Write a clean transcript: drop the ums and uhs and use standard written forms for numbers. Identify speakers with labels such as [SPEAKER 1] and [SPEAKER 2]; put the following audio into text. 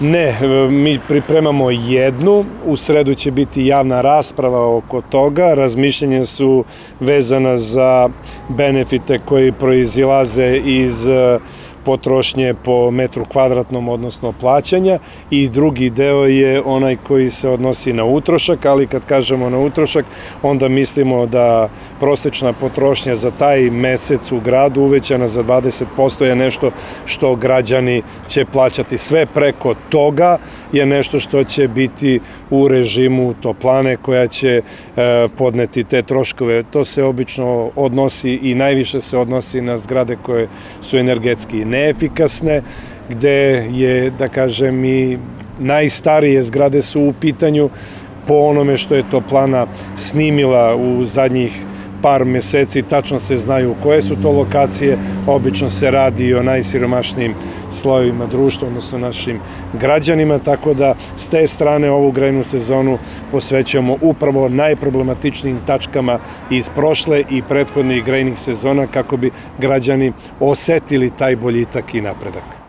[SPEAKER 1] Ne, mi pripremamo jednu, u sredu će biti javna rasprava oko toga, razmišljenja su vezana za benefite koji proizilaze iz potrošnje po metru kvadratnom, odnosno plaćanja, i drugi deo je onaj koji se odnosi na utrošak, ali kad kažemo na utrošak, onda mislimo da prosečna potrošnja za taj mesec u gradu uvećana za 20% je nešto što građani će plaćati. Sve preko toga je nešto što će biti u režimu toplane koja će podneti te troškove. To se obično odnosi i najviše se odnosi na zgrade koje su energetski neefikasne, gde je, da kažem, i najstarije zgrade su u pitanju po onome što je toplana snimila u zadnjih par meseci, tačno se znaju koje su to lokacije, obično se radi o najsiromašnijim slojevima društva, odnosno našim građanima, tako da s te strane ovu grejnu sezonu posvećujemo upravo najproblematičnijim tačkama iz prošle i prethodnih grejnih sezona kako bi građani osetili taj boljitak i napredak.